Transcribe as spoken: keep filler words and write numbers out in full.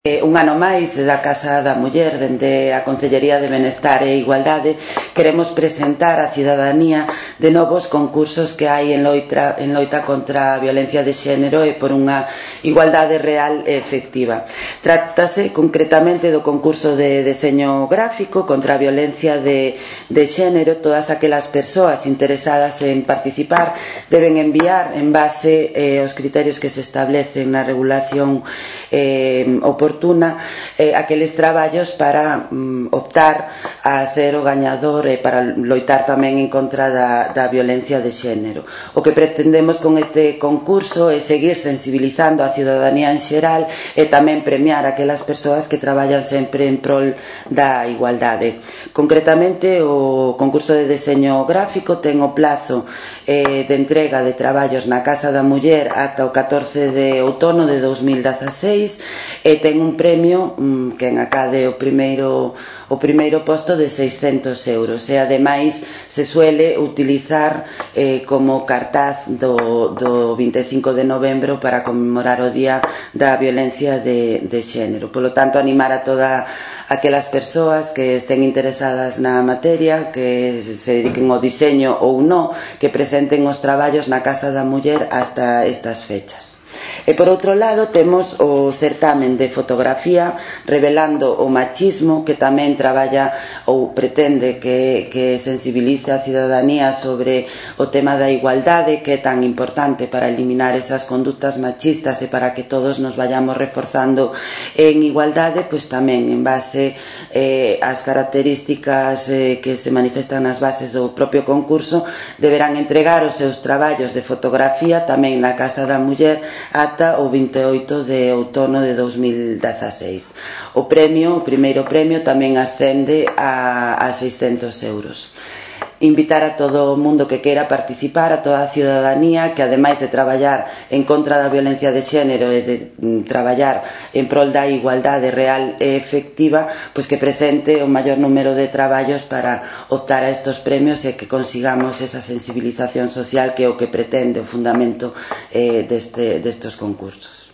Un ano máis da Casa da Muller, dende a Concellería de Benestar e Igualdade, queremos presentar á cidadanía de novos concursos que hai en loita, en loita contra a violencia de xénero e por unha igualdade real e efectiva. Trátase concretamente do concurso de deseño gráfico contra a violencia de, de xénero. Todas aquelas persoas interesadas en participar deben enviar, en base eh, aos criterios que se establecen na regulación eh, oportuna, eh, aqueles traballos para mm, optar a ser o gañador e para loitar tamén en contra da, da violencia de xénero. O que pretendemos con este concurso é seguir sensibilizando a cidadanía en xeral e tamén premiar aquelas persoas que traballan sempre en prol da igualdade. Concretamente, o concurso de deseño gráfico ten o plazo eh, de entrega de traballos na Casa da Muller ata o catorce de outono de dous mil dezaseis e ten un premio mm, que en acade o primeiro o primeiro posto de seiscentos euros e ademais se suele utilizar eh, como cartaz do, do vinte e cinco de novembro para conmemorar o Día da Violencia de, de Xénero. Polo tanto, animar a toda aquelas persoas que estén interesadas na materia, que se dediquen ao diseño ou non, que presenten os traballos na Casa da Muller hasta estas fechas. E por outro lado temos o certamen de fotografía revelando o machismo, que tamén traballa ou pretende que, que sensibilice a cidadanía sobre o tema da igualdade, que é tan importante para eliminar esas conductas machistas e para que todos nos vayamos reforzando en igualdade. Pois tamén en base eh, ás características eh, que se manifestan nas bases do propio concurso, deberán entregar os seus traballos de fotografía tamén na Casa da Muller ata o vinte e oito de outono de dous mil dezaseis. O premio, o primeiro premio, tamén ascende a, a seiscentos euros. Invitar a todo o mundo que queira participar, a toda a cidadanía, que ademais de traballar en contra da violencia de xénero e de mm, traballar en prol da igualdade real e efectiva, pois que presente o maior número de traballos para optar a estos premios e que consigamos esa sensibilización social que é o que pretende o fundamento eh, deste, destes concursos.